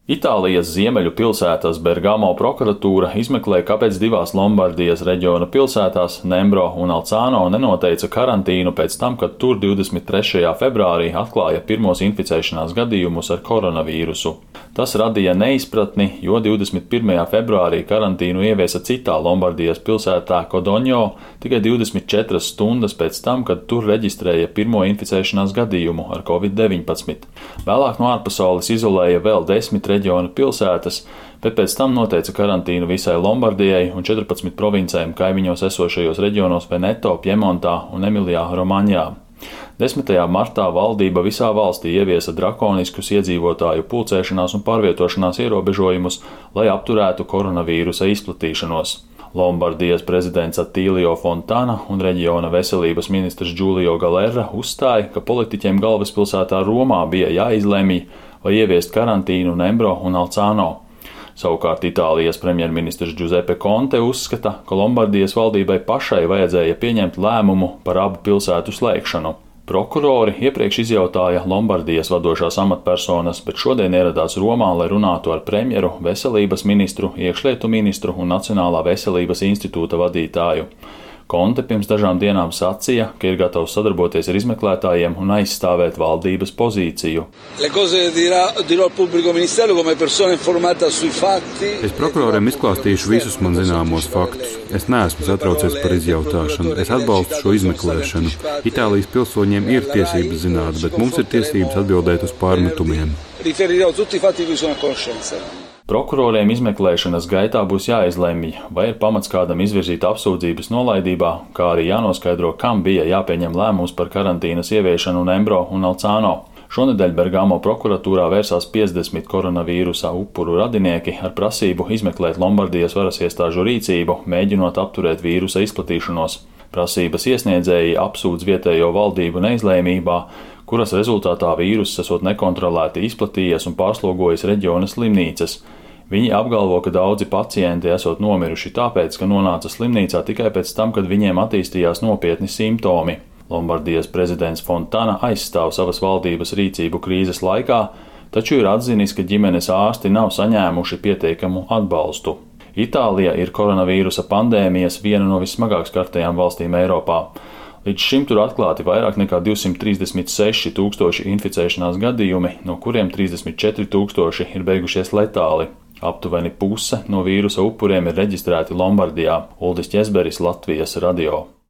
Itālijas ziemeļu pilsētas Bergamo prokuratūra izmeklē, kāpēc divās Lombardijas reģiona pilsētās Nembro un Alcāno nenoteica karantīnu pēc tam, kad tur 23. februārī atklāja pirmos inficēšanās gadījumus ar koronavīrusu. Tas radīja neizpratni, jo 21. februārī karantīnu ieviesa citā Lombardijas pilsētā Codogno tikai 24 stundas pēc tam, kad tur reģistrēja pirmo inficēšanās gadījumu ar Covid-19. Vēlāk no ārpasaules izolēja vēl 10 reģiona pilsētas, bet pēc tam noteica karantīnu visai Lombardijai un 14 provincēm kaimiņos esošajos reģionos Veneto, Piemontā un Emilijā Romaņā. 10. martā valdība visā valstī ieviesa drakoniskus iedzīvotāju pulcēšanās un pārvietošanās ierobežojumus, lai apturētu koronavīrusa izplatīšanos. Lombardijas prezidents Attilio Fontana un reģiona veselības ministrs Giulio Galera uzstāja, ka politiķiem galvaspilsētā Romā bija jāizlemj, vai ieviest karantīnu Nembro un Alcāno. Savukārt Itālijas premjerministrs Giuseppe Conte uzskata, ka Lombardijas valdībai pašai vajadzēja pieņemt lēmumu par abu pilsētu slēgšanu. Prokurori iepriekš izjautāja Lombardijas vadošās amatpersonas, bet šodien ieradās Romā, lai runātu ar premjeru, veselības ministru, iekšlietu ministru un Nacionālā veselības institūta vadītāju. Conte pirms dažām dienām sacīja, ka ir gatavs sadarboties ar izmeklētājiem un aizstāvēt valdības pozīciju. Es prokuroriem izklāstīšu visus man zināmos faktus. Es neesmu satraucies par izjautāšanu. Es atbalstu šo izmeklēšanu. Itālijas pilsoņiem ir tiesības zināt, bet mums ir tiesības atbildēt uz pārmetumiem. Prokuroriem izmeklēšanas gaitā būs jāizlemj, vai ir pamats kādam izvirzīt apsūdzības nolaidībā, kā arī jānoskaidro, kam bija jāpieņem lēmums par karantīnas ieviešanu Nembro un Alcāno. Šonedēļ Bergamo prokuratūrā vērsās 50 koronavīrusa upuru radinieki ar prasību izmeklēt Lombardijas varas iestāžu rīcību, mēģinot apturēt vīrusa izplatīšanos. Prasības iesniedzēji apsūdz vietējo valdību neizlēmībā, kuras rezultātā vīruss esot nekontrolēti izplatījies un pārslogojis reģiona slimnīcas. Viņi apgalvo, ka daudzi pacienti esot nomiruši tāpēc, ka nonāca slimnīcā tikai pēc tam, kad viņiem attīstījās nopietni simptomi. Lombardijas prezidents Fontana aizstāv savas valdības rīcību krīzes laikā, taču ir atzinis, ka ģimenes ārsti nav saņēmuši pietiekamu atbalstu. Itālija ir koronavīrusa pandēmijas viena no vismagāk skartajām valstīm Eiropā. Līdz šim tur atklāti vairāk nekā 236 000 inficēšanās gadījumi, no kuriem 34 000 ir beigušies letāli. Aptuveni puse no vīrusa upuriem ir reģistrēti Lombardijā. Uldis Ķezberis, Latvijas radio.